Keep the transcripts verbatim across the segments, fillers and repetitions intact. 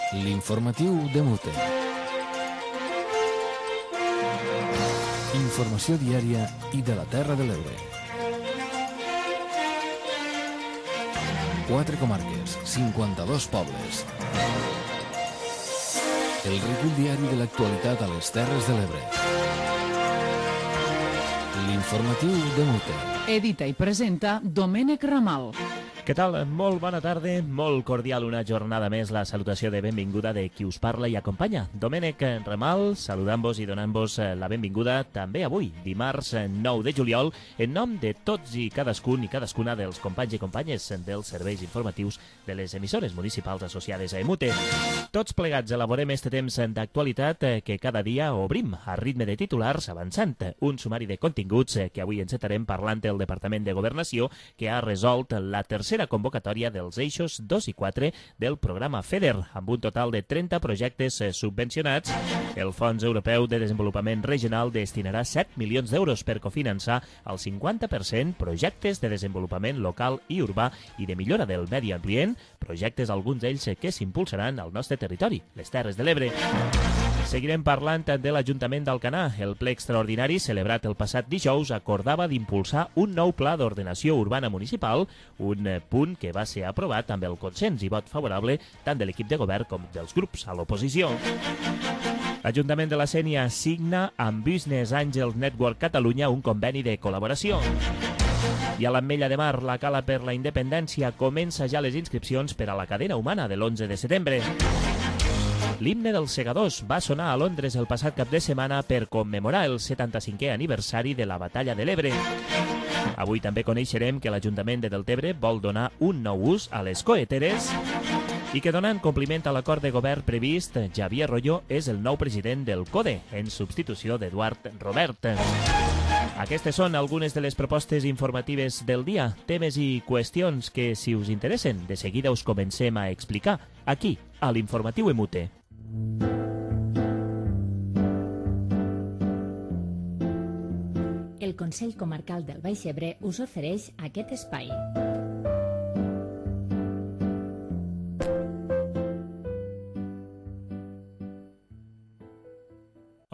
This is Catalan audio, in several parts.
L'informatiu de Mute. Informació diària i de la Terra de l'Ebre. Quatre comarques, cinquanta-dos pobles. El recull diari de l'actualitat a les Terres de l'Ebre. L'informatiu de Mute. Edita i presenta Domènec Ramal. Què tal? Molt bona tarda, molt cordial una jornada més, la salutació de benvinguda de qui us parla i acompanya. Domènec Ramal, saludant-vos i donant-vos la benvinguda també avui, dimarts nou de juliol, en nom de tots i cadascun i cadascuna dels companys i companyes dels serveis informatius de les emissores municipals associades a Emute. Tots plegats elaborem este temps d'actualitat que cada dia obrim a ritme de titulars avançant un sumari de continguts que avui encetarem parlant del Departament de Governació que ha resolt la tercera convocatòria dels eixos dos i quatre del programa FEDER, amb un total de trenta projectes subvencionats. El Fons Europeu de Desenvolupament Regional destinarà set milions d'euros per cofinançar el cinquanta per cent projectes de desenvolupament local i urbà i de millora del medi ambient, projectes alguns d'ells que s'impulsaran al nostre territori, les Terres de l'Ebre. Seguirem parlant de l'Ajuntament d'Alcanar. El ple extraordinari celebrat el passat dijous acordava d'impulsar un nou pla d'ordenació urbana municipal, un punt que va ser aprovat amb el consens i vot favorable tant de l'equip de govern com dels grups a l'oposició. L'Ajuntament de la Sénia signa amb Business Angels Network Catalunya un conveni de col·laboració. I a l'Ametlla de Mar, la Cala per la Independència comença ja les inscripcions per a la cadena humana de l'onze de setembre. L'himne dels segadors va sonar a Londres el passat cap de setmana per commemorar el setanta-cinquè aniversari de la Batalla de l'Ebre. Avui també coneixerem que l'Ajuntament de Deltebre vol donar un nou ús a les coeteres i que donant compliment a l'acord de govern previst, Javier Royo és el nou president del CODE, en substitució d'Eduard Robert. Aquestes són algunes de les propostes informatives del dia, temes i qüestions que, si us interessen, de seguida us comencem a explicar aquí, a l'Informatiu Emute. El Consell Comarcal del Baix Ebre us ofereix aquest espai.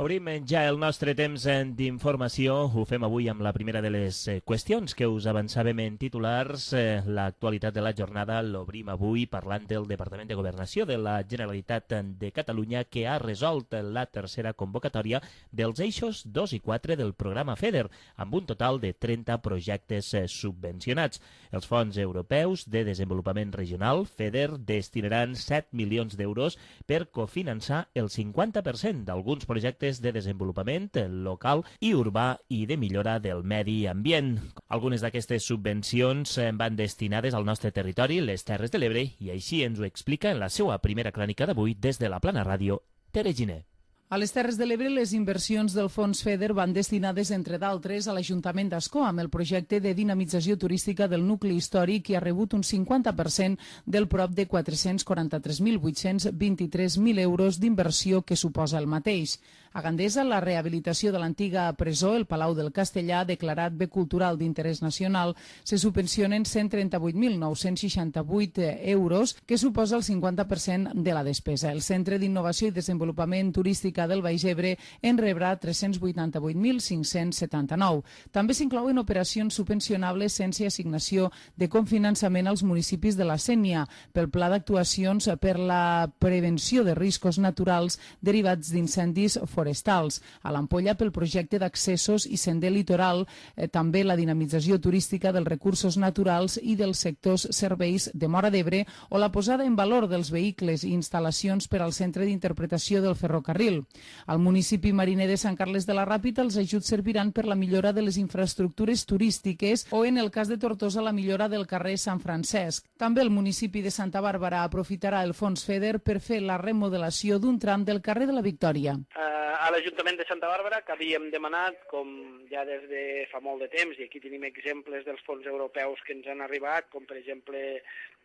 Obrim ja el nostre temps d'informació. Ho fem avui amb la primera de les qüestions que us avançàvem en titulars. L'actualitat de la jornada l'obrim avui parlant del Departament de Governació de la Generalitat de Catalunya que ha resolt la tercera convocatòria dels eixos dos i quatre del programa FEDER, amb un total de trenta projectes subvencionats. Els fons europeus de desenvolupament regional, FEDER, destinaran set milions d'euros per cofinançar el cinquanta per cent d'alguns projectes de desenvolupament local i urbà i de millora del medi ambient. Algunes d'aquestes subvencions van destinades al nostre territori, les Terres de l'Ebre, i així ens ho explica en la seva primera crònica d'avui des de la Plana Ràdio, Tere Giner. A les Terres de l'Ebre, les inversions del Fons FEDER van destinades, entre d'altres, a l'Ajuntament d'Ascó, amb el projecte de dinamització turística del nucli històric, que ha rebut un cinquanta per cent del prop de quatre-cents quaranta-tres mil vuit-cents vint-i-tres mil euros d'inversió que suposa el mateix. A Gandesa, la rehabilitació de l'antiga presó, el Palau del Castellà, declarat bé cultural d'interès nacional, se subvencionen cent trenta-vuit mil nou-cents seixanta-vuit euros, que suposa el cinquanta per cent de la despesa. El Centre d'Innovació i Desenvolupament Turístic del Baix Ebre en rebrà tres-cents vuitanta-vuit mil cinc-cents setanta-nou. També s'inclouen operacions subvencionables sense assignació de cofinançament als municipis de la Sénia pel Pla d'Actuacions per la Prevenció de Riscos Naturals derivats d'incendis forestals. A l'Ampolla pel projecte d'accessos i sender litoral, eh, també la dinamització turística dels recursos naturals i dels sectors serveis de Móra d'Ebre o la posada en valor dels vehicles i instal·lacions per al Centre d'Interpretació del Ferrocarril. Al municipi mariner de Sant Carles de la Ràpita, els ajuts serviran per la millora de les infraestructures turístiques o, en el cas de Tortosa, la millora del carrer Sant Francesc. També el municipi de Santa Bàrbara aprofitarà el fons FEDER per fer la remodelació d'un tram del carrer de la Victòria. Uh, a l'Ajuntament de Santa Bàrbara, que havíem demanat, com ja des de fa molt de temps, i aquí tenim exemples dels fons europeus que ens han arribat, com per exemple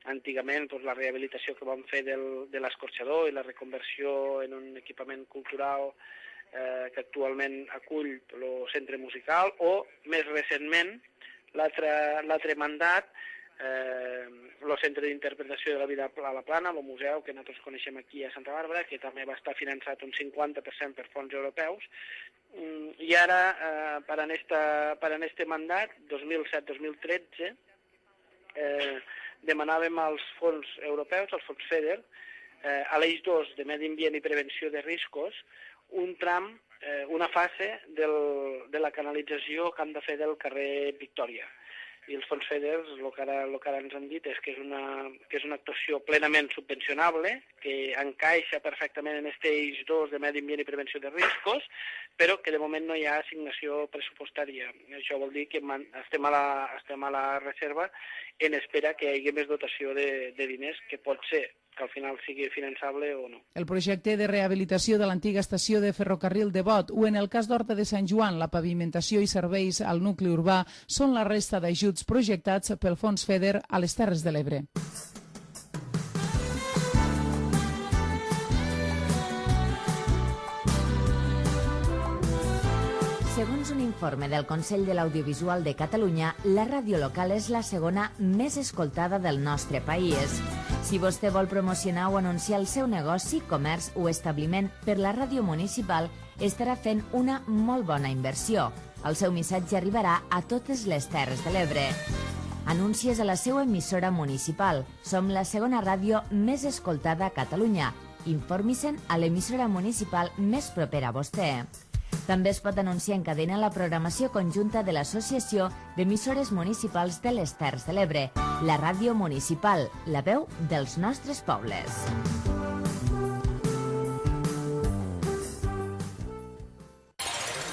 antigament doncs, la rehabilitació que vam fer del, de l'escorxador i la reconversió en un equipament cultural eh, que actualment acull el centre musical, o més recentment l'altre mandat el Centre d'Interpretació de la Vida a la Plana, el museu que nosaltres coneixem aquí a Santa Bàrbara, que també va estar finançat un cinquanta per cent per fons europeus. I ara, eh, per en esta, per en este mandat, dos mil set dos mil tretze, eh, demanàvem als fons europeus, als fons FEDER, eh, a l'eix dos de Medi Ambient i Prevenció de Riscos, un tram, eh, una fase del, de la canalització que han de fer del carrer Victòria. I els fons FEDER, el que ara, el que ara ens han dit és que és, una, que és una actuació plenament subvencionable, que encaixa perfectament en aquest eix dos de Medi Ambient i Prevenció de Riscos, però que de moment no hi ha assignació pressupostària. Això vol dir que estem a la, estem a la reserva en espera que hi hagi més dotació de, de diners, que pot ser que al final sigui finançable o no. El projecte de rehabilitació de l'antiga estació de ferrocarril de Bot o, en el cas d'Horta de Sant Joan, la pavimentació i serveis al nucli urbà són la resta d'ajuts projectats pel Fons FEDER a les Terres de l'Ebre. Segons un informe del Consell de l'Audiovisual de Catalunya, la ràdio local és la segona més escoltada del nostre país. Si vostè vol promocionar o anunciar el seu negoci, comerç o establiment per la ràdio municipal, estarà fent una molt bona inversió. El seu missatge arribarà a totes les Terres de l'Ebre. Anuncies a la seva emissora municipal. Som la segona ràdio més escoltada a Catalunya. Informi-se'n a l'emissora municipal més propera a vostè. També es pot anunciar en cadena la programació conjunta de l'Associació d'Emissores Municipals de les Terres de l'Ebre, la ràdio municipal, la veu dels nostres pobles.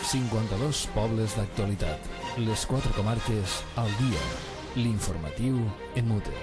cinquanta-dos pobles d'actualitat. Les quatre comarques al dia. L'informatiu en mute.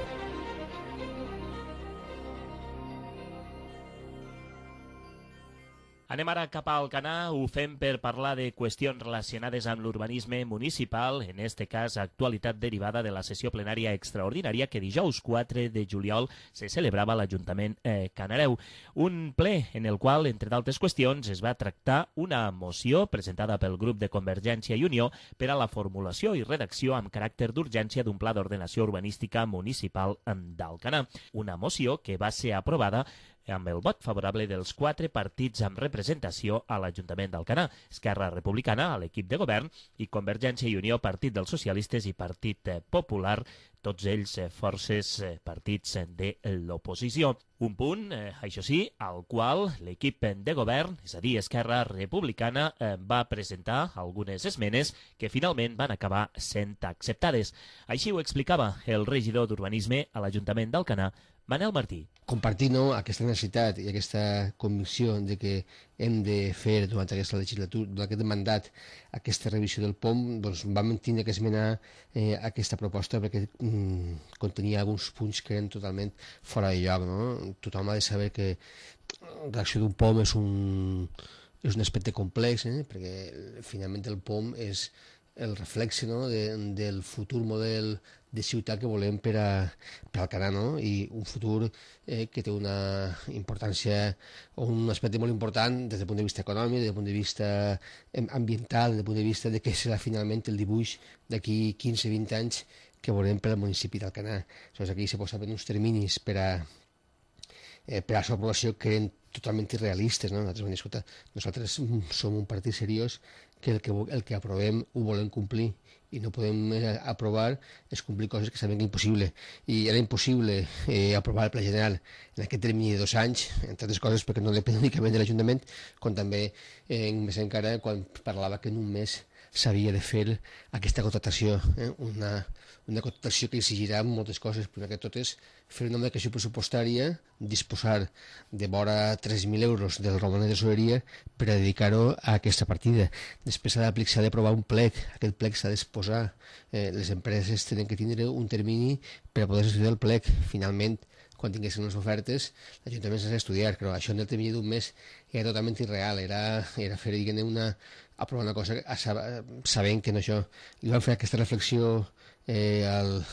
Anem ara cap a Alcanar, ho fem per parlar de qüestions relacionades amb l'urbanisme municipal, en este cas actualitat derivada de la sessió plenària extraordinària que dijous quatre de juliol se celebrava a l'Ajuntament eh, Canareu. Un ple en el qual, entre d'altres qüestions, es va tractar una moció presentada pel grup de Convergència i Unió per a la formulació i redacció amb caràcter d'urgència d'un pla d'ordenació urbanística municipal d'Alcanar. Una moció que va ser aprovada amb el vot favorable dels quatre partits amb representació a l'Ajuntament d'Alcanar, Esquerra Republicana, a l'equip de govern, i Convergència i Unió, Partit dels Socialistes i Partit Popular, tots ells forces partits de l'oposició. Un punt, eh, això sí, al qual l'equip de govern, és a dir, Esquerra Republicana, eh, va presentar algunes esmenes que finalment van acabar sent acceptades. Així ho explicava el regidor d'Urbanisme a l'Ajuntament d'Alcanar, Manel Martí. Compartir no, aquesta necessitat i aquesta convicció de que hem de fer durant aquesta legislatura, durant aquest mandat, aquesta revisió del P O M, doncs vam tindre que esmenar eh, aquesta proposta perquè mm, contenia alguns punts que eren totalment fora de lloc. No? Tothom ha de saber que la redacció d'un P O M és un, és un aspecte complex, eh? perquè finalment el P O M és el reflexe, no? de, del futur model de ciutat que volem per a, per al Alcanar, no? I un futur eh, que té una importància o un aspecte molt important des del punt de vista econòmic, des del punt de vista ambiental, des del punt de vista de què serà finalment el dibuix d'aquí quinze vint anys que volem per al municipi d'Alcanar. Aleshores, aquí se posaven uns terminis per a, eh, per a la seva aprovació que eren totalment irrealistes. No? Nosaltres vam dir, escolta, nosaltres som un partit seriós que el que, el que aprovem ho volem complir i no podem aprovar és complir coses que sabem que és impossible. I era impossible eh, aprovar el Pla General en aquest termini de dos anys, entre altres coses perquè no depèn únicament de l'Ajuntament, com també eh, més encara quan parlava que en un mes s'havia de fer aquesta contractació, eh? una, una contractació que exigirà moltes coses, primer que tot és fer una declaració pressupostària, disposar de vora tres mil euros del romanent de tesoreria per a dedicar-ho a aquesta partida. Després s'ha d'aprovar un plec, aquest plec s'ha d'exposar, eh, les empreses tenen que tindre un termini per a poder estudiar el plec. Finalment, quan tinguessin les ofertes, l'Ajuntament s'ha d'estudiar, però això en el termini d'un mes era totalment irreal, era, era fer una, aprovar una cosa sabent que no això. Li van fer aquesta reflexió eh, al,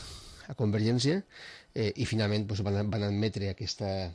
a Convergència eh, i finalment doncs, van, van admetre aquesta,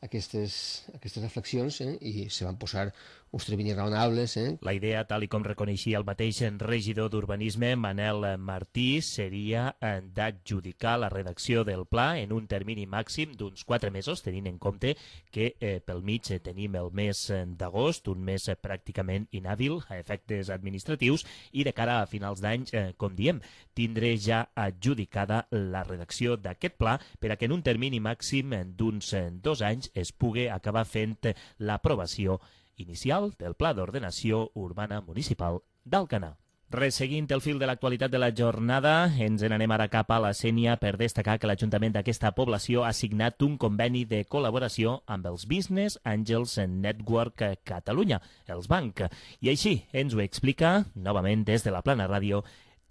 aquestes, aquestes reflexions eh, i se van posar uns terminis raonables. Eh. La idea, tal i com reconeixia el mateix regidor d'Urbanisme, Manel Martí, seria d'adjudicar la redacció del pla en un termini màxim d'uns quatre mesos, tenint en compte que eh, pel mig tenim el mes d'agost, un mes pràcticament inhàbil a efectes administratius, i de cara a finals d'any, eh, com diem, tindré ja adjudicada la redacció d'aquest pla per a que en un termini màxim d'uns dos anys es pugui acabar fent l'aprovació inicial del Pla d'Ordenació Urbana Municipal d'Alcanar. Resseguint el fil de l'actualitat de la jornada, ens n'anem ara cap a la Sénia per destacar que l'Ajuntament d'aquesta població ha signat un conveni de col·laboració amb els Business Angels Network Catalunya, els Banc. I així ens ho explica, novament des de la Plana Ràdio,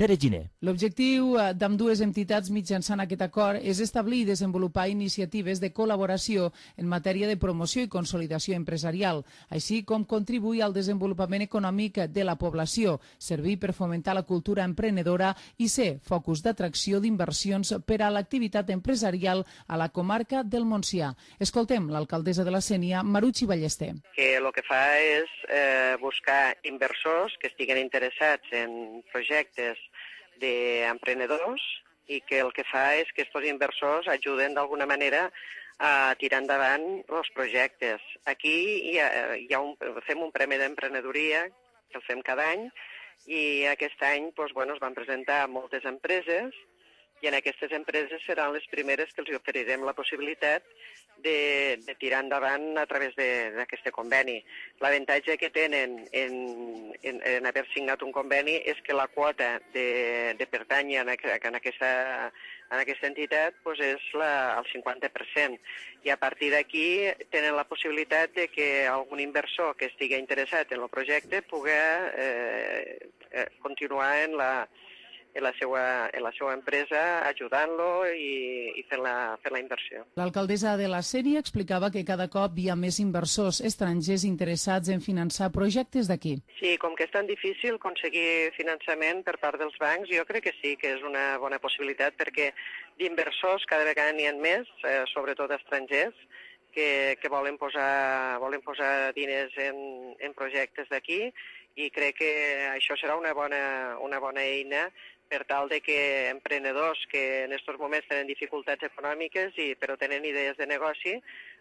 Tere Giner. L'objectiu d'ambdues entitats mitjançant aquest acord és establir i desenvolupar iniciatives de col·laboració en matèria de promoció i consolidació empresarial, així com contribuir al desenvolupament econòmic de la població, servir per fomentar la cultura emprenedora i ser focus d'atracció d'inversions per a l'activitat empresarial a la comarca del Montsià. Escoltem l'alcaldessa de la Sénia, Maruchi Ballester. Que el que fa és eh, buscar inversors que estiguen interessats en projectes d'emprenedors i que el que fa és que aquests inversors ajuden d'alguna manera a tirar endavant els projectes. Aquí hi ha, hi ha un, fem un premi d'emprenedoria que el fem cada any i aquest any doncs, bueno, es van presentar moltes empreses i en aquestes empreses seran les primeres que els oferirem la possibilitat de, de tirar endavant a través d'aquest conveni. L'avantatge que tenen en, en, en haver signat un conveni és que la quota de, de pertànyer en, en, aquesta, en aquesta entitat doncs és la, el cinquanta per cent. I a partir d'aquí tenen la possibilitat de que algun inversor que estigui interessat en el projecte pugui eh, eh, continuar en la en la seva, en la seva empresa, ajudant-lo i, i fent, la, fent la inversió. L'alcaldessa de la Sénia explicava que cada cop hi ha més inversors estrangers interessats en finançar projectes d'aquí. Sí, com que és tan difícil aconseguir finançament per part dels bancs, jo crec que sí que és una bona possibilitat perquè d'inversors cada vegada n'hi ha més, eh, sobretot estrangers, que, que volen, posar, volen posar diners en, en projectes d'aquí i crec que això serà una bona, una bona eina per tal de que emprenedors que en aquests moments tenen dificultats econòmiques i, però tenen idees de negoci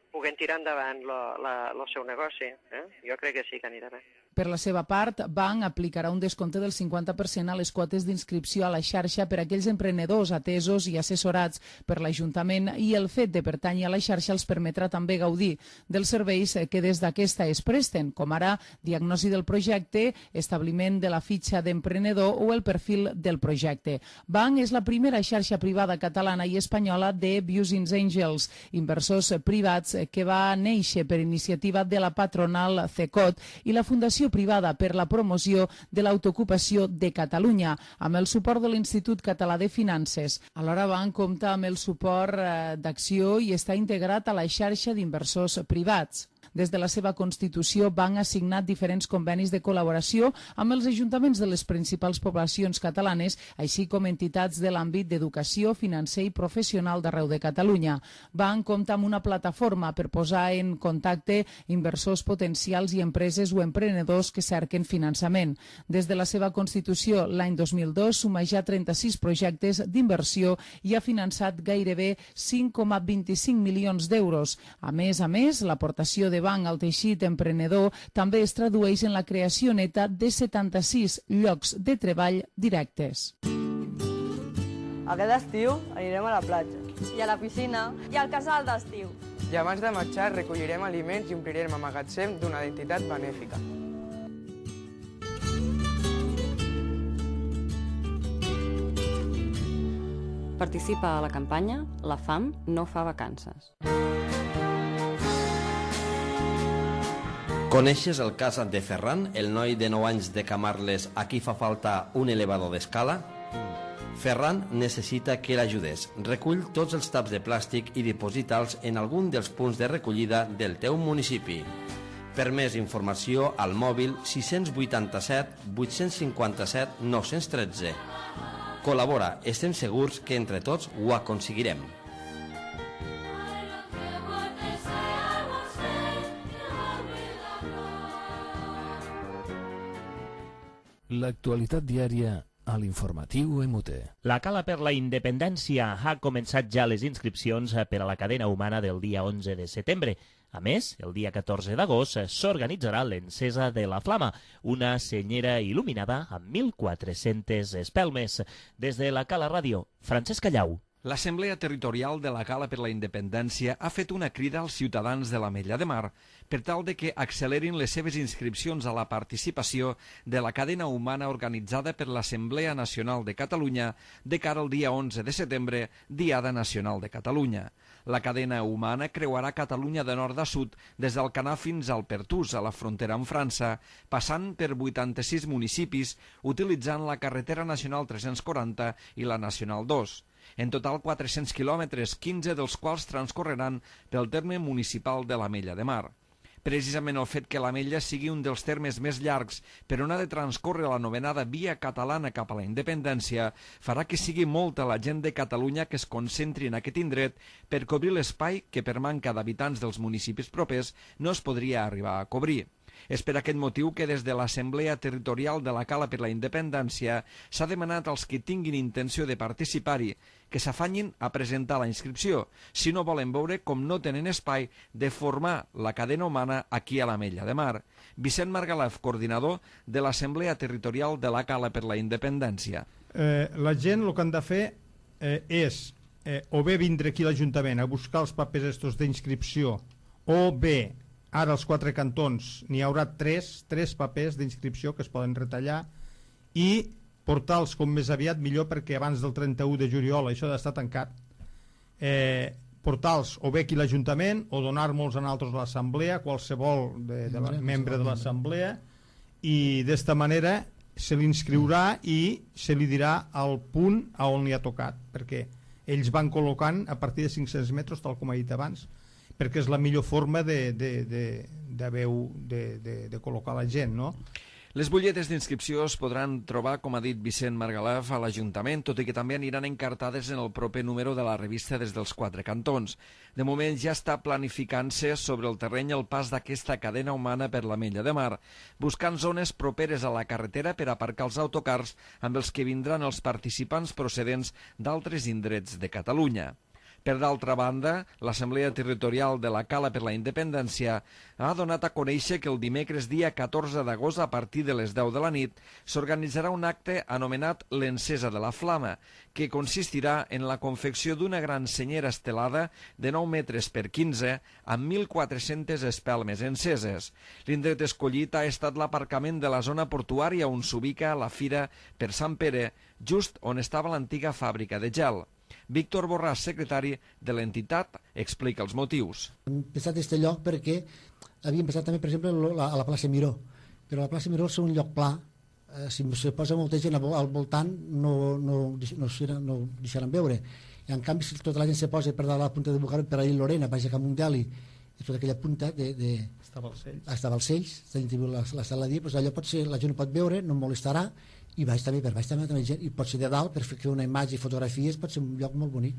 puguen tirar endavant el seu negoci. Eh? Jo crec que sí que anirà bé. Per la seva part, Banc aplicarà un descompte del cinquanta per cent a les quotes d'inscripció a la xarxa per a aquells emprenedors atesos i assessorats per l'Ajuntament i el fet de pertànyer a la xarxa els permetrà també gaudir dels serveis que des d'aquesta es presten, com ara diagnosi del projecte, establiment de la fitxa d'emprenedor o el perfil del projecte. Banc és la primera xarxa privada catalana i espanyola de Business Angels, inversors privats que va néixer per iniciativa de la patronal CECOT i la Fundació privada per la promoció de l'autoocupació de Catalunya, amb el suport de l'Institut Català de Finances. Alhora Banc compta amb el suport d'Acció i està integrat a la xarxa d'inversors privats. Des de la seva constitució, Banc ha signat diferents convenis de col·laboració amb els ajuntaments de les principals poblacions catalanes, així com entitats de l'àmbit d'educació, financer i professional d'arreu de Catalunya. Banc compta amb una plataforma per posar en contacte inversors potencials i empreses o emprenedors que cerquen finançament. Des de la seva constitució, l'any dos mil dos, suma ja trenta-sis projectes d'inversió i ha finançat gairebé cinc coma vint-i-cinc milions d'euros. A més a més, l'aportació de Banc al teixit emprenedor també es tradueix en la creació neta de setanta-sis llocs de treball directes. Aquest estiu anirem a la platja. I a la piscina. I al casal d'estiu. I abans de marxar recollirem aliments i omplirem el magatzem d'una entitat benèfica. Participa a la campanya La fam no fa vacances. Coneixes el cas de Ferran, el noi de nou anys de Camarles a qui fa falta un elevador d'escala? Ferran necessita que l'ajudes. Recull tots els taps de plàstic i diposita'ls en algun dels punts de recollida del teu municipi. Per més informació, al mòbil sis vuitanta-set vuit cinquanta-set nou tretze. Col·labora, estem segurs que entre tots ho aconseguirem. L'actualitat diària a l'informatiu M T. La Cala per la Independència ha començat ja les inscripcions per a la cadena humana del dia onze de setembre. A més, el dia catorze d'agost s'organitzarà l'encesa de la Flama, una senyera il·luminada amb mil quatre-centes espelmes. Des de la Cala Ràdio, Francesc Callau. L'Assemblea Territorial de la Cala per la Independència ha fet una crida als ciutadans de l'Ametlla de Mar per tal de que accelerin les seves inscripcions a la participació de la cadena humana organitzada per l'Assemblea Nacional de Catalunya de cara al dia onze de setembre, Diada Nacional de Catalunya. La cadena humana creuarà Catalunya de nord a sud des del Canà fins al Pertús, a la frontera amb França, passant per vuitanta-sis municipis utilitzant la carretera nacional tres-cents quaranta i la nacional dos. En total quatre-cents quilòmetres, quinze dels quals transcorreran pel terme municipal de l'Ametlla de Mar. Precisament el fet que l'Ametlla sigui un dels termes més llargs per on ha de transcórrer la anomenada Via Catalana cap a la independència farà que sigui molta la gent de Catalunya que es concentri en aquest indret per cobrir l'espai que per manca d'habitants dels municipis propers no es podria arribar a cobrir. És per aquest motiu que des de l'Assemblea Territorial de la Cala per la Independència s'ha demanat als que tinguin intenció de participar-hi que s'afanyin a presentar la inscripció, si no volen veure com no tenen espai de formar la cadena humana aquí a l'Ametlla de Mar. Vicent Margalef, coordinador de l'Assemblea Territorial de la Cala per la Independència. Eh, la gent el que han de fer eh, és eh, o bé vindre aquí a l'Ajuntament a buscar els papers estos d'inscripció o bé ara als quatre cantons n'hi haurà tres, tres papers d'inscripció que es poden retallar i portar-los com més aviat millor perquè abans del trenta-u de juliol això ha d'estar tancat. Eh, portar-los o bé aquí a l'Ajuntament o donar-nos a nosaltres a l'Assemblea, qualsevol de, de la, membre de l'Assemblea, i d'esta manera se l'inscriurà i se li dirà el punt a on li ha tocat, perquè ells van col·locant a partir de cinc-cents metres, tal com he dit abans, perquè és la millor forma de, de, de, de, veu, de, de, de col·locar la gent, no? Les butlletes d'inscripció es podran trobar, com ha dit Vicent Margalef, a l'Ajuntament, tot i que també aniran encartades en el proper número de la revista des dels quatre cantons. De moment ja està planificant-se sobre el terreny el pas d'aquesta cadena humana per l'Ametlla de Mar, buscant zones properes a la carretera per aparcar els autocars amb els que vindran els participants procedents d'altres indrets de Catalunya. Per d'altra banda, l'Assemblea Territorial de la Cala per la Independència ha donat a conèixer que el dimecres dia catorze d'agost a partir de les deu de la nit s'organitzarà un acte anomenat l'Encesa de la Flama, que consistirà en la confecció d'una gran senyera estelada de nou metres per quinze amb mil quatre-centes espelmes enceses. L'indret escollit ha estat l'aparcament de la zona portuària on s'ubica la fira per Sant Pere, just on estava l'antiga fàbrica de gel. Víctor Borràs, secretari de l'entitat, explica els motius. Hem pensat aquest lloc perquè havíem pensat també, per exemple, a la plaça Miró, però la plaça Miró és un lloc pla, eh, si se posa molta gent al voltant no, no, no, no deixaran veure. I en canvi, si tota la gent se posa per dalt a la punta de Bucar, per ahir Lorena, baix a Camundeli, i tota aquella punta de... de està a Balcells, està a Balcells, la, la sala de dia, doncs allò pot ser, la gent ho pot veure, no molestarà, i baix també, per baix també, gent, i pot ser de dalt per fer una imatge i fotografies, pot ser un lloc molt bonic.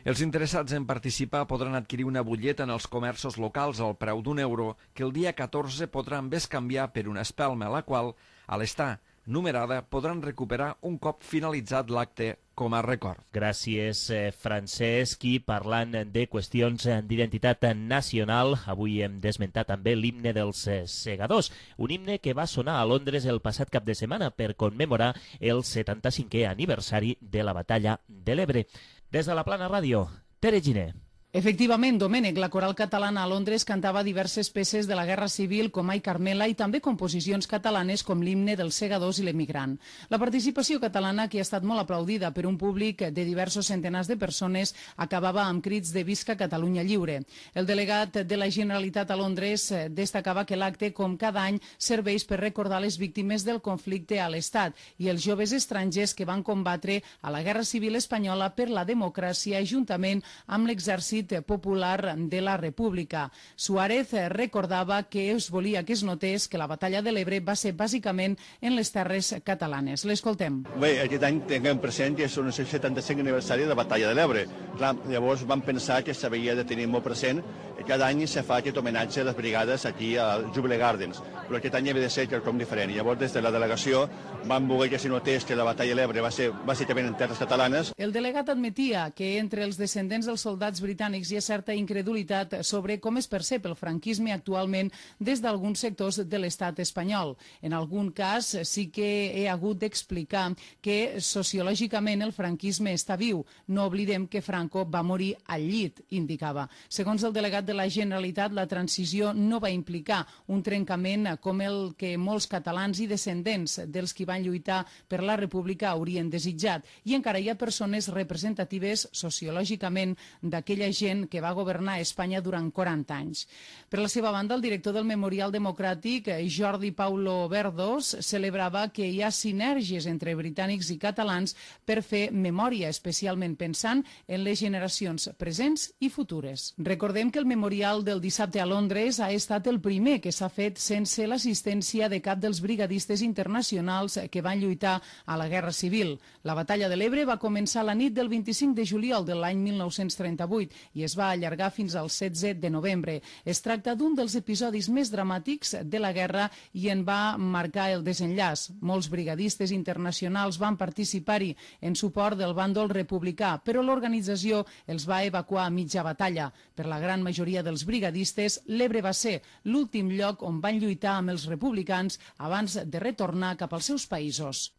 Els interessats en participar podran adquirir una butlleta en els comerços locals al preu d'un euro que el dia catorze podran bescanviar per una espelma, la qual, a l'estar numerada, podran recuperar un cop finalitzat l'acte com a record. Gràcies, Francesc. I parlant de qüestions d'identitat nacional, avui hem d'esmentar també l'himne dels segadors, un himne que va sonar a Londres el passat cap de setmana per commemorar el setanta-cinquè aniversari de la batalla de l'Ebre. Des de la Plana Ràdio, Tere Giner. Efectivament, Domènec, la coral catalana a Londres cantava diverses peces de la Guerra Civil com Ai Carmela i també composicions catalanes com l'himne dels segadors i l'emigrant. La participació catalana, que ha estat molt aplaudida per un públic de diversos centenars de persones, acabava amb crits de Visca Catalunya Lliure. El delegat de la Generalitat a Londres destacava que l'acte, com cada any, serveix per recordar les víctimes del conflicte a l'Estat i els joves estrangers que van combatre a la Guerra Civil espanyola per la democràcia juntament amb l'exèrcit Partit Popular de la República. Suárez recordava que es volia que es notés que la batalla de l'Ebre va ser bàsicament en les terres catalanes. L'escoltem. Bé, aquest any tinguem present que és un setanta-cinc aniversari de la batalla de l'Ebre. Clar, llavors vam pensar que s'havia de tenir molt present i cada any se fa aquest homenatge a les brigades aquí al Jubilee Gardens, però aquest any havia de ser quelcom diferent. Llavors, des de la delegació, vam voler que s'hi notés que la batalla de l'Ebre va ser bàsicament en terres catalanes. El delegat admetia que entre els descendents dels soldats britànics hi ha certa incredulitat sobre com es percep el franquisme actualment des d'alguns sectors de l'estat espanyol. En algun cas sí que he hagut d'explicar que sociològicament el franquisme està viu. No oblidem que Franco va morir al llit, indicava. Segons el delegat de la Generalitat, la transició no va implicar un trencament com el que molts catalans i descendents dels qui van lluitar per la República haurien desitjat. I encara hi ha persones representatives sociològicament d'aquella gent que va governar Espanya durant quaranta anys. Per la seva banda, el director del Memorial Democràtic, Jordi Paulo Verdos, celebrava que hi ha sinergies entre britànics i catalans per fer memòria, especialment pensant en les generacions presents i futures. Recordem que el memorial del dissabte a Londres ha estat el primer que s'ha fet sense l'assistència de cap dels brigadistes internacionals que van lluitar a la Guerra Civil. La batalla de l'Ebre va començar la nit del vint-i-cinc de juliol de l'any mil nou-cents trenta-vuit i es va allargar fins al setze de novembre. Es tracta d'un dels episodis més dramàtics de la guerra i en va marcar el desenllaç. Molts brigadistes internacionals van participar-hi en suport del bàndol republicà, però l'organització els va evacuar a mitja batalla. Per la gran majoria dels brigadistes, l'Ebre va ser l'últim lloc on van lluitar amb els republicans abans de retornar cap als seus països.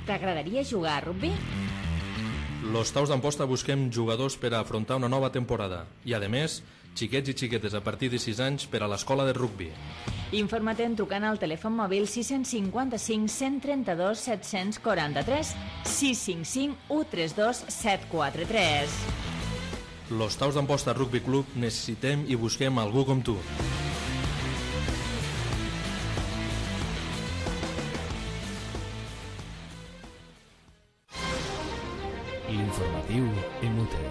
T'agradaria jugar a rugby? Los Taus d'Amposta busquem jugadors per a afrontar una nova temporada i, a més, xiquets i xiquetes a partir de sis anys per a l'escola de rugby. Informa't trucant al telèfon mòbil sis cinc cinc, cent trenta-dos, set cents quaranta-tres, sis cinc cinc, u tres dos, set quatre tres. Los Taus d'Amposta Rugby Club necessitem i busquem algú com tu. L'informatiu Emute.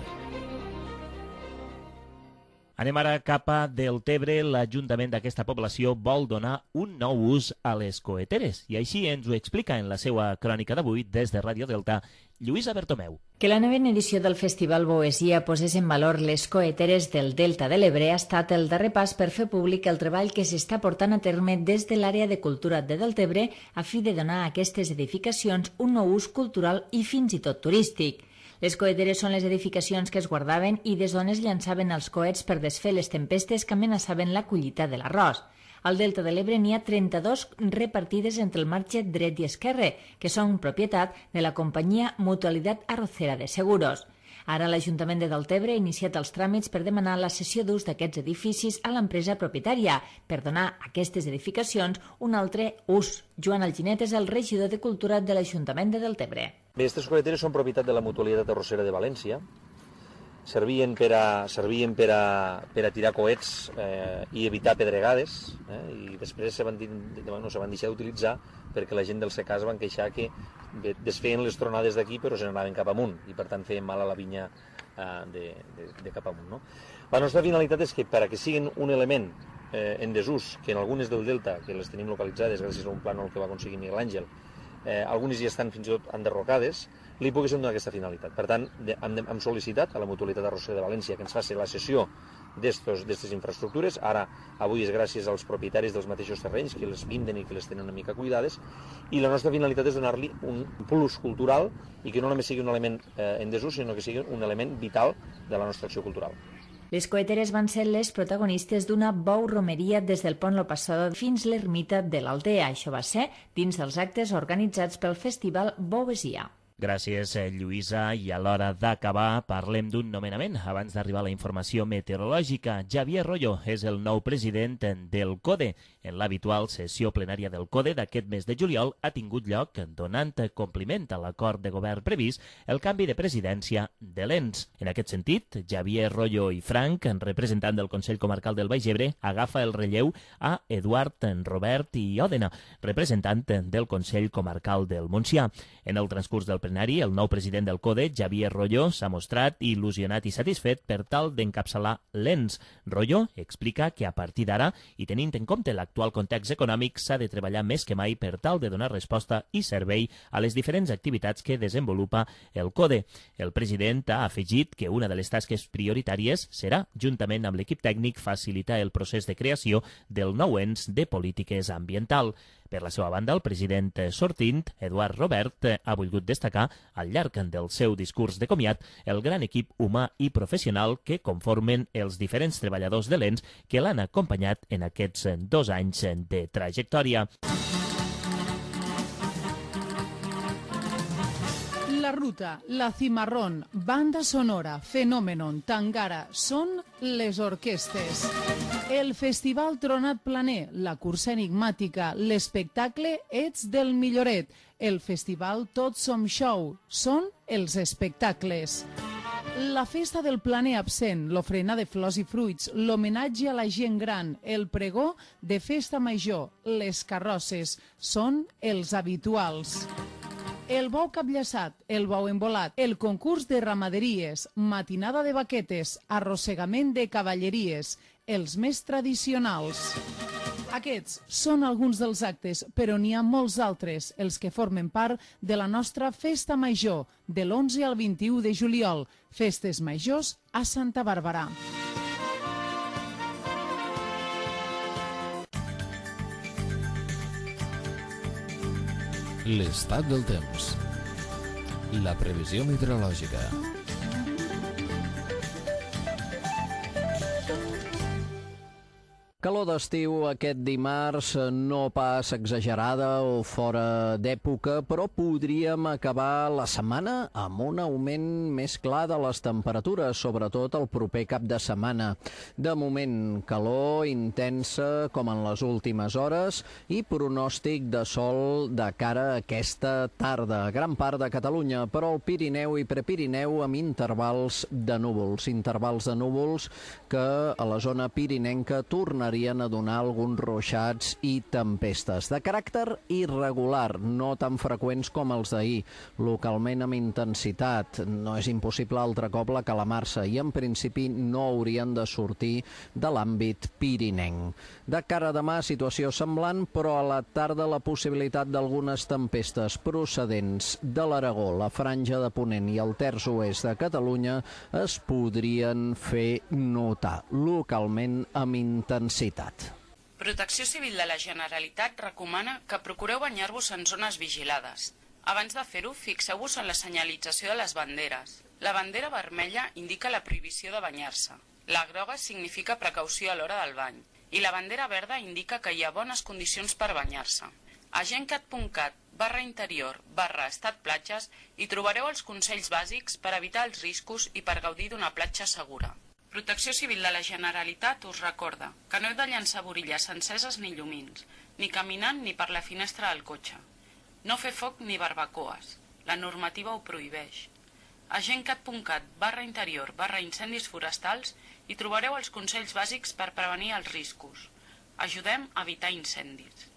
Anem ara cap a Deltebre. L'Ajuntament d'aquesta població vol donar un nou ús a les coeteres i així ens ho explica en la seva crònica d'avui des de Ràdio Delta Lluïsa Bertomeu. Que la novena edició del Festival Boesia posés en valor les coeteres del Delta de l'Ebre ha estat el darrer pas per fer públic el treball que s'està portant a terme des de l'àrea de cultura de Deltebre a fi de donar a aquestes edificacions un nou ús cultural i fins i tot turístic. Les coeteres són les edificacions que es guardaven i des d'on es llançaven els coets per desfer les tempestes que amenaçaven la collita de l'arròs. Al Delta de l'Ebre n'hi ha trenta-dos repartides entre el marge dret i esquerre, que són propietat de la companyia Mutualitat Arrocera de Seguros. Ara l'Ajuntament de Deltebre ha iniciat els tràmits per demanar la cessió d'ús d'aquests edificis a l'empresa propietària per donar a aquestes edificacions un altre ús. Joan Alginet és el regidor de Cultura de l'Ajuntament de Deltebre. Bé, aquestes coeteres són propietat de la Mutualitat Arrossera de València. Servien per a, servien per a, per a tirar coets eh, i evitar pedregades, eh, i després se van, no, se van deixar d'utilitzar perquè la gent del secà es van queixar que desfeien les tronades d'aquí però se n'anaven cap amunt i per tant feien mal a la vinya eh, de, de, de cap amunt. No? La nostra finalitat és que per a que siguin un element eh, en desús, que en algunes del Delta, que les tenim localitzades gràcies a un plànol que va aconseguir Miguel Àngel, eh, algunes ja estan fins i tot enderrocades, li poguéssim donar aquesta finalitat. Per tant, de, hem, hem sol·licitat a la Mutualitat Arrossera de València que ens faci la cessió d'aquestes infraestructures. Ara, avui és gràcies als propietaris dels mateixos terrenys que les vinden i que les tenen una mica cuidades, i la nostra finalitat és donar-li un plus cultural i que no només sigui un element eh, en desús, sinó que sigui un element vital de la nostra acció cultural. Les coeteres van ser les protagonistes d'una bou romeria des del pont Lo Passador fins l'ermita de l'Aldea. Això va ser dins dels actes organitzats pel Festival Boesia. Gràcies, Lluïsa. I a l'hora d'acabar parlem d'un nomenament. Abans d'arribar a la informació meteorològica, Javier Royo és el nou president del CODE. En l'habitual sessió plenària del CODE d'aquest mes de juliol ha tingut lloc, donant compliment a l'acord de govern previst, el canvi de presidència de l'Ens. En aquest sentit, Javier Royo i Frank, representant del Consell Comarcal del Baix Ebre, agafa el relleu a Eduard Robert i Òdena, representant del Consell Comarcal del Montsià. En el transcurs del plenari, el nou president del CODE, Xavier Royo, s'ha mostrat il·lusionat i satisfet per tal d'encapçalar l'ens. Royo explica que a partir d'ara, i tenint en compte l'actual context econòmic, s'ha de treballar més que mai per tal de donar resposta i servei a les diferents activitats que desenvolupa el CODE. El president ha afegit que una de les tasques prioritàries serà, juntament amb l'equip tècnic, facilitar el procés de creació del nou ens de polítiques ambiental. Per la seva banda, el president sortint, Eduard Robert, ha volgut destacar, al llarg del seu discurs de comiat, el gran equip humà i professional que conformen els diferents treballadors de l'ens que l'han acompanyat en aquests dos anys de trajectòria. La Ruta, La Cimarrón, Banda Sonora, Fenómenon, Tangara són les orquestes. El Festival Tronat Planer, la cursa enigmàtica, l'espectacle Ets del Milloret, el Festival Tots Som Show, són els espectacles. La festa del planer absent, l'ofrena de flors i fruits, l'homenatge a la gent gran, el pregó de festa major, les carrosses, són els habituals. El bou capllaçat, el bou embolat, el concurs de ramaderies, matinada de baquetes, arrossegament de cavalleries, els més tradicionals. Aquests són alguns dels actes, però n'hi ha molts altres, els que formen part de la nostra festa major, de l'onze al vint-i-u de juliol, festes majors a Santa Bàrbara. L'estat del temps. La previsió meteorològica. Calor d'estiu aquest dimarts, no pas exagerada o fora d'època, però podríem acabar la setmana amb un augment més clar de les temperatures, sobretot el proper cap de setmana. De moment, calor intensa com en les últimes hores i pronòstic de sol de cara a aquesta tarda. Gran part de Catalunya, però el Pirineu i Prepirineu amb intervals de núvols. Intervals de núvols que a la zona pirinenca tornarien a donar alguns ruixats i tempestes. De caràcter irregular, no tan freqüents com els d'ahir, localment amb intensitat. No és impossible altre cop la calamarsa i en principi no haurien de sortir de l'àmbit pirinenc. De cara a demà, situació semblant, però a la tarda la possibilitat d'algunes tempestes procedents de l'Aragó, la Franja de Ponent i el terç oest de Catalunya es podrien fer notar, localment amb intensitat. Protecció Civil de la Generalitat recomana que procureu banyar-vos en zones vigilades. Abans de fer-ho, fixeu-vos en la senyalització de les banderes. La bandera vermella indica la prohibició de banyar-se. La groga significa precaució a l'hora del bany. I la bandera verda indica que hi ha bones condicions per banyar-se. A gencat punt cat barra interior barra estat platges hi trobareu els consells bàsics per evitar els riscos i per gaudir d'una platja segura. Protecció Civil de la Generalitat us recorda que no heu de llançar borilles enceses ni llumins, ni caminant ni per la finestra del cotxe. No fer foc ni barbacoes. La normativa ho prohibeix. A gencat punt cat barra interior barra incendis forestals hi trobareu els consells bàsics per prevenir els riscos. Ajudem a evitar incendis.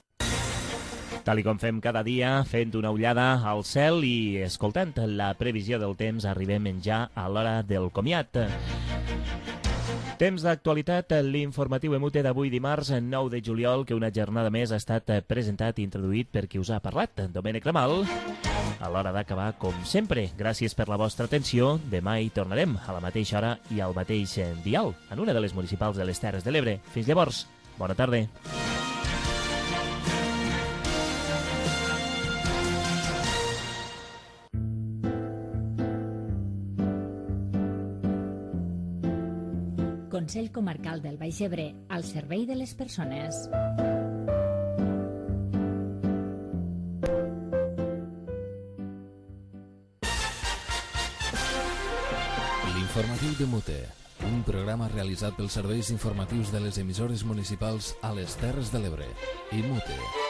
Tal i com fem cada dia, fent una ullada al cel i escoltant la previsió del temps, arribem ja a l'hora del comiat. Temps d'actualitat, l'informatiu Emute d'avui dimarts nou de juliol, que una jornada més ha estat presentat i introduït per qui us ha parlat, Domènec Ramal. A l'hora d'acabar, com sempre, gràcies per la vostra atenció. Demà hi tornarem a la mateixa hora i al mateix dial, en una de les municipals de les Terres de l'Ebre. Fins llavors, bona tarda. Consell Comarcal del Baix Ebre, al servei de les persones. L'informatiu de Mute, un programa realitzat pels serveis informatius de les emissores municipals a les Terres de l'Ebre i Mute.